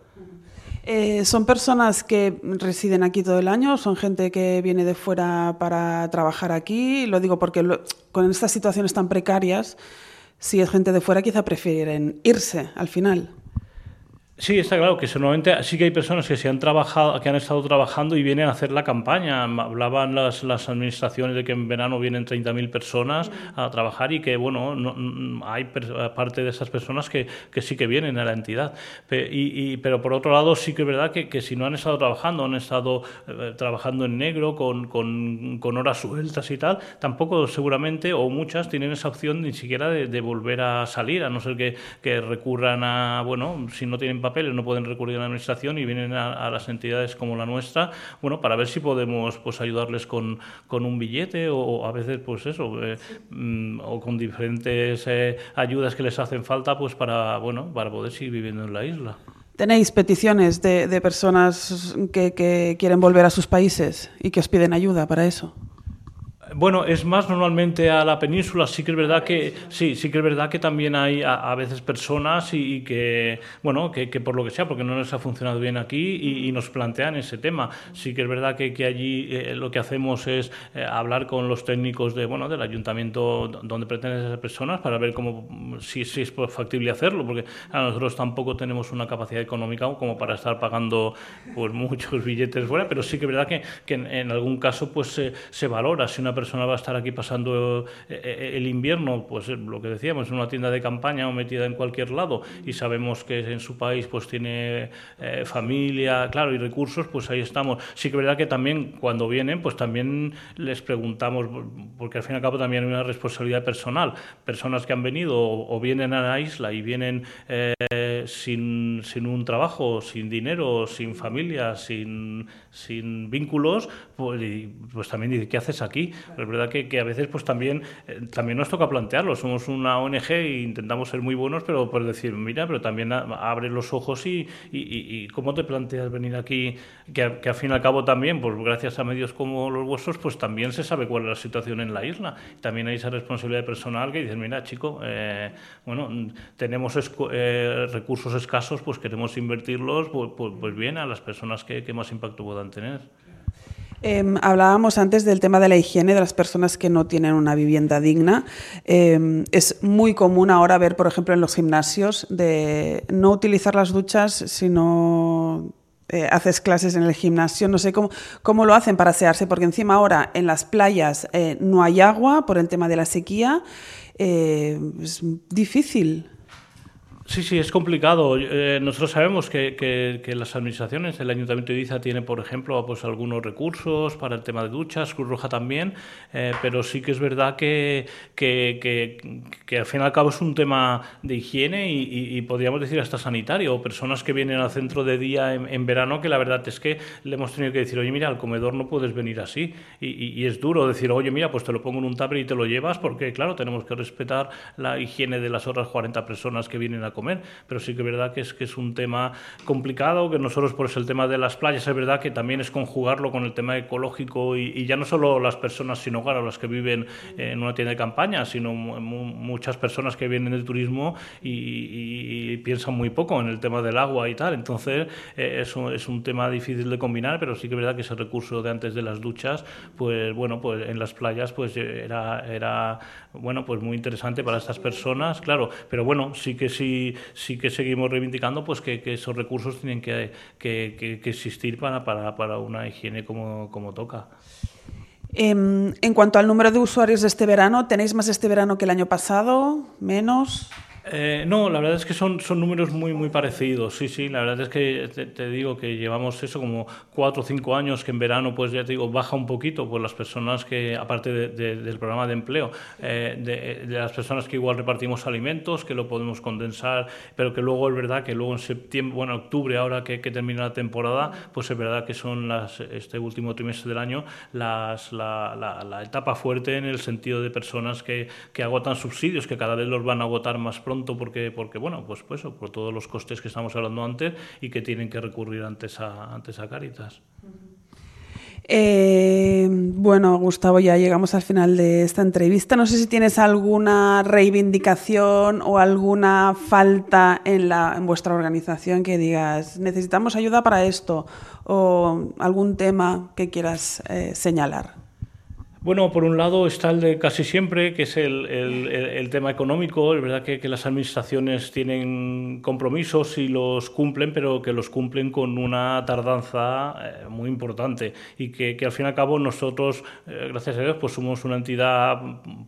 ¿Son personas que residen aquí todo el año? ¿Son gente que viene de fuera para trabajar aquí? Lo digo porque con estas situaciones tan precarias, si es gente de fuera, quizá prefieren irse al final. Sí, está claro que normalmente sí que hay personas que han estado trabajando y vienen a hacer la campaña. Hablaban las administraciones de que en verano vienen 30.000 personas a trabajar, y que bueno, hay parte de esas personas que sí que vienen a la entidad. Pero por otro lado sí que es verdad que si no han estado trabajando en negro con horas sueltas y tal, tampoco seguramente, o muchas, tienen esa opción ni siquiera de volver a salir, a no ser que recurran a, bueno, si no tienen papeles no pueden recurrir a la administración y vienen a las entidades como la nuestra, bueno, para ver si podemos pues ayudarles con un billete, o a veces pues eso, o con diferentes ayudas que les hacen falta, pues para poder seguir viviendo en la isla. ¿Tenéis peticiones de personas que quieren volver a sus países y que os piden ayuda para eso? Bueno, es más normalmente a la península. Sí que es verdad que también hay a veces personas y que, bueno, que por lo que sea, porque no les ha funcionado bien aquí y nos plantean ese tema. Sí que es verdad que allí lo que hacemos es hablar con los técnicos del ayuntamiento donde pretenden esas personas para ver si es factible hacerlo, porque nosotros tampoco tenemos una capacidad económica como para estar pagando pues muchos billetes fuera, pero sí que es verdad que en algún caso pues se valora si una persona va a estar aquí pasando el invierno, pues lo que decíamos, en una tienda de campaña o metida en cualquier lado, y sabemos que en su país pues tiene familia, claro, y recursos, pues ahí estamos. Sí que es verdad que también cuando vienen, pues también les preguntamos, porque al fin y al cabo también hay una responsabilidad personal. Personas que han venido o vienen a la isla y vienen sin un trabajo, sin dinero, sin familia, sin vínculos, pues también dice, ¿qué haces aquí? Pero es verdad que a veces pues también nos toca plantearlo. Somos una ONG e intentamos ser muy buenos, pero por decir, mira, pero también abre los ojos y ¿cómo te planteas venir aquí? Que al fin y al cabo también, pues gracias a medios como los vuestros, pues también se sabe cuál es la situación en la isla. También hay esa responsabilidad personal que dices, mira, chico, tenemos recursos escasos, pues queremos invertirlos pues bien a las personas que más impacto puedan tener. Hablábamos antes del tema de la higiene de las personas que no tienen una vivienda digna. Es muy común ahora ver, por ejemplo, en los gimnasios, de no utilizar las duchas si no haces clases en el gimnasio. No sé cómo lo hacen para asearse, porque encima ahora en las playas no hay agua por el tema de la sequía. Es difícil. Sí, es complicado. Nosotros sabemos que las administraciones, el Ayuntamiento de Ibiza tiene, por ejemplo, pues algunos recursos para el tema de duchas, Cruz Roja también, pero sí que es verdad que al fin y al cabo es un tema de higiene y podríamos decir hasta sanitario, o personas que vienen al centro de día en verano, que la verdad es que le hemos tenido que decir, oye, mira, al comedor no puedes venir así, y es duro decir, oye, mira, pues te lo pongo en un tupper y te lo llevas, porque claro, tenemos que respetar la higiene de las otras 40 personas que vienen a comer, pero sí que es verdad que es un tema complicado, que nosotros por el tema de las playas es verdad que también es conjugarlo con el tema ecológico y ya no solo las personas sin hogar o las que viven en una tienda de campaña, sino muchas personas que vienen del turismo y piensan muy poco en el tema del agua y tal. Entonces es un tema difícil de combinar, pero sí que es verdad que ese recurso de antes de las duchas, pues bueno, pues en las playas pues era bueno, pues muy interesante para estas personas, claro, pero bueno, sí que seguimos reivindicando pues que esos recursos tienen que existir para una higiene como toca. En cuanto al número de usuarios de este verano, ¿tenéis más este verano que el año pasado? ¿Menos? No, la verdad es que son números muy parecidos, sí, la verdad es que te digo que llevamos eso como 4 o 5 años que en verano, pues ya te digo, baja un poquito, pues las personas que, aparte del programa de empleo, de las personas que igual repartimos alimentos, que lo podemos condensar, pero que luego es verdad que luego en septiembre, bueno, octubre, ahora que termina la temporada, pues es verdad que son este último trimestre del año la etapa fuerte en el sentido de personas que agotan subsidios, que cada vez los van a agotar más pronto, porque bueno, pues por todos los costes que estamos hablando antes y que tienen que recurrir antes a Cáritas. Bueno, Gustavo, ya llegamos al final de esta entrevista. No sé si tienes alguna reivindicación o alguna falta en vuestra organización que digas, necesitamos ayuda para esto, o algún tema que quieras señalar. Bueno, por un lado está el de casi siempre, que es el tema económico. Es verdad que las administraciones tienen compromisos y los cumplen, pero que los cumplen con una tardanza muy importante y que al fin y al cabo nosotros, gracias a Dios, pues somos una entidad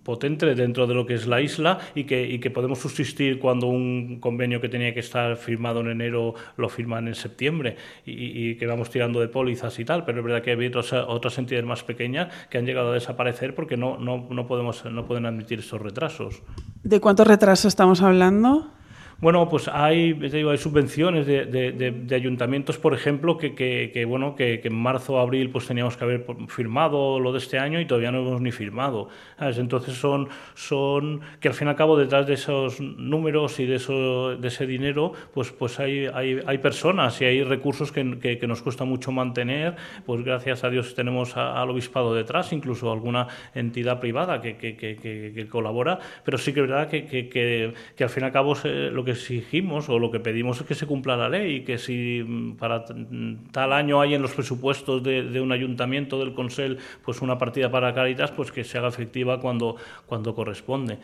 potente dentro de lo que es la isla y que podemos subsistir cuando un convenio que tenía que estar firmado en enero lo firman en septiembre y que vamos tirando de pólizas y tal, pero es verdad que hay otras entidades más pequeñas que han llegado a desaparecer porque no pueden admitir estos retrasos. ¿De cuántos retrasos estamos hablando? Bueno, pues hay subvenciones de ayuntamientos, por ejemplo, que en marzo o abril pues teníamos que haber firmado lo de este año y todavía no hemos ni firmado. ¿Sabes? Entonces son que al fin y al cabo detrás de esos números y de ese dinero pues hay personas y hay recursos que nos cuesta mucho mantener. Pues gracias a Dios tenemos al obispado detrás, incluso alguna entidad privada que colabora, pero sí que es verdad que al fin y al cabo lo que exigimos o lo que pedimos es que se cumpla la ley y que si para tal año hay en los presupuestos de un ayuntamiento, del Consell, pues una partida para Cáritas, pues que se haga efectiva cuando corresponde.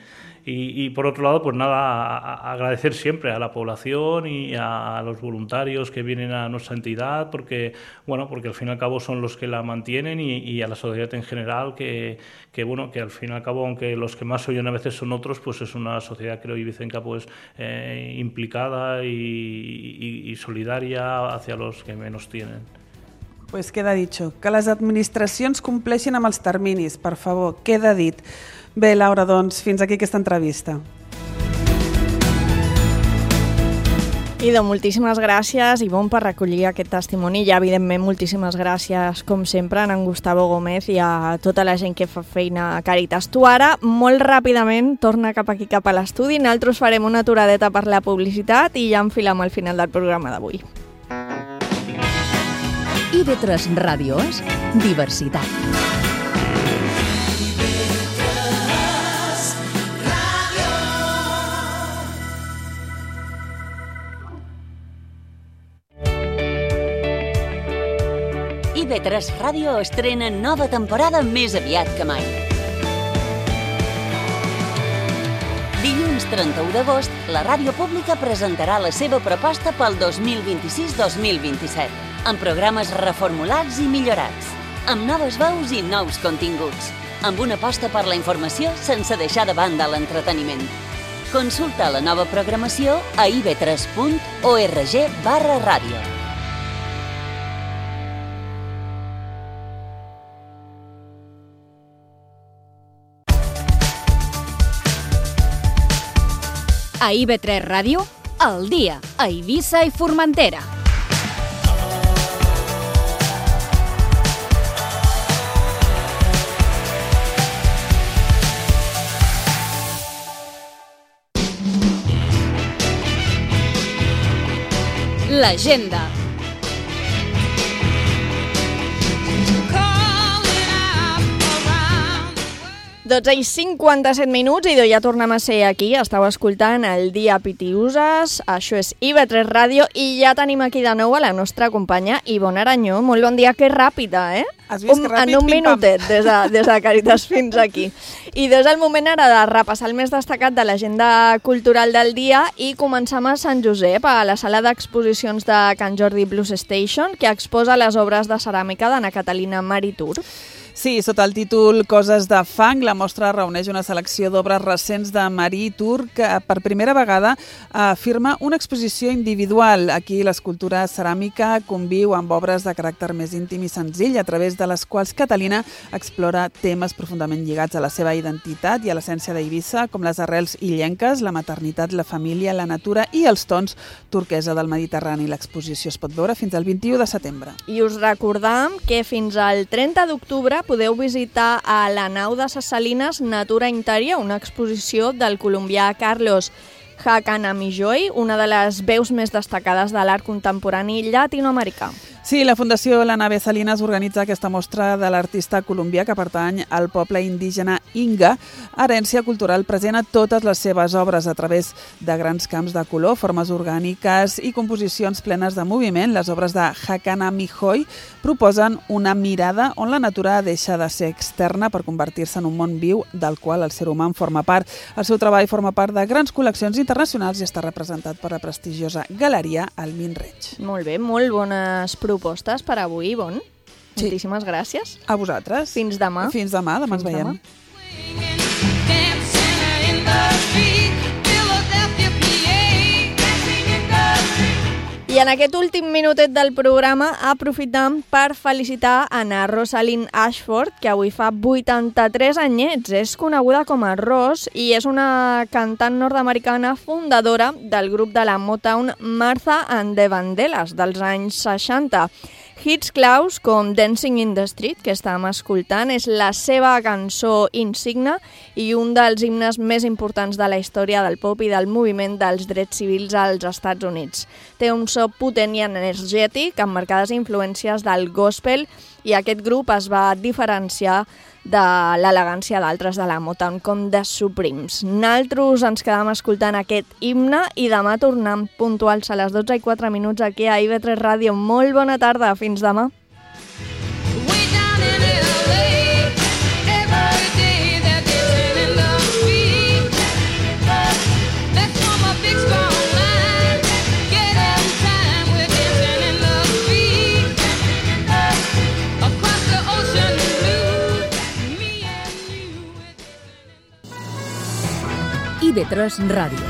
Y por otro lado, pues nada, agradecer siempre a la población y a los voluntarios que vienen a nuestra entidad, porque al fin y al cabo son los que la mantienen y a la sociedad en general, que al fin y al cabo, aunque los que más oyen a veces son otros, pues es una sociedad, creo, ibicenca, pues implicada y solidaria hacia los que menos tienen. Pues queda dicho. Que les administracions compleixin amb els terminis, per favor, queda dit. Bé, Laura, doncs, fins aquí aquesta entrevista. Idò, moltíssimes gràcies, Ivonne, per recollir aquest testimoni i, evidentment, moltíssimes gràcies, com sempre, a en Gustavo Gómez i a tota la gent que fa feina a Cáritas. Tu ara, molt ràpidament, torna cap aquí, cap a l'estudi. Nosaltres farem una aturadeta per la publicitat i ja enfilem al final del programa d'avui. IB3 Ràdio és diversitat. IB3 Ràdio estrena nova temporada més aviat que mai. Dilluns 31 d'agost, la ràdio pública presentarà la seva proposta pel 2026-2027, amb programes reformulats i millorats, amb noves veus i nous continguts, amb una aposta per la informació sense deixar de banda l'entreteniment. Consulta la nova programació a ib3.org/ràdio. A IB3 Ràdio, al dia, a Eivissa i Formentera. L'agenda. 12:57 minuts, i ja tornem a ser aquí. Estàu escoltant el Dia Pitiuses, això és IB3 Ràdio, i ja tenim aquí de nou a la nostra companya Ivonne Aranyó. Molt bon dia, que ràpida, eh? Has vist que ràpid? En un minutet, des de Càritas fins aquí. I és el moment ara de repassar el més destacat de l'agenda cultural del dia i començam a Sant Josep, a la sala d'exposicions de Can Jordi Blues Station, que exposa les obres de ceràmica d'Anna Catalina Maritur. Sí, sota el títol Coses de fang, la mostra reuneix una selecció d'obres recents de Marie Tour que per primera vegada afirma una exposició individual. Aquí l'escultura ceràmica conviu amb obres de caràcter més íntim i senzill, a través de les quals Catalina explora temes profundament lligats a la seva identitat i a l'essència d'Eivissa, com les arrels illenques, la maternitat, la família, la natura i els tons turquesa del Mediterrani. L'exposició es pot veure fins al 21 de setembre. I us recordam que fins al 30 d'octubre podeu visitar a la nau de ses Salines Natura Interior, una exposició del colombià Carlos Hakanamijoy, una de les veus més destacades de l'art contemporani llatinoamericà. Sí, la Fundació La Nave Salinas organitza aquesta mostra de l'artista colombià que pertany al poble indígena Inga, herència cultural present a totes les seves obres a través de grans camps de color, formes orgàniques i composicions plenes de moviment. Les obres de Hakanamijoy proposen una mirada on la natura deixa de ser externa per convertir-se en un món viu del qual el ser humà en forma part. El seu treball forma part de grans col·leccions internacionals i està representat per la prestigiosa galeria Almin Reig. Molt bé, molt bones propostes per avui, Bon. Sí. Moltíssimes gràcies. A vosaltres. Fins demà. Fins demà, demà ens veiem. I en aquest últim minutet del programa aprofitam per felicitar a na Rosalind Ashford, que avui fa 83 anyets. És coneguda com a Ross i és una cantant nord-americana fundadora del grup de la Motown Martha and the Vandellas dels anys 60. Hits claus com Dancing in the Street, que estàvem escoltant, és la seva cançó insigna i un dels himnes més importants de la història del pop i del moviment dels drets civils als Estats Units. Té un so potent i energètic, amb marcades influències del gospel, i aquest grup es va diferenciar de l'elegància d'altres de la Motown, com The Supremes. Naltros ens quedam escoltant aquest himne i demà tornem puntuals a les 12:04 aquí a IB3 Ràdio. Molt bona tarda, fins demà. IB3 Ràdio.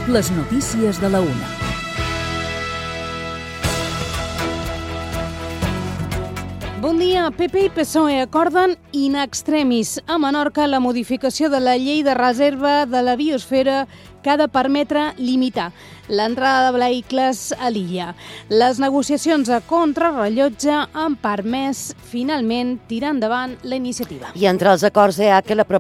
Les notícies de la una. Bon dia. PP i PSOE acorden in extremis a Menorca la modificació de la llei de reserva de la biosfera que ha de permetre limitar l'entrada de vehicles a l'illa. Les negociacions a contrarrellotge han permès finalment tirar endavant la iniciativa. I entre els acords hi ha que la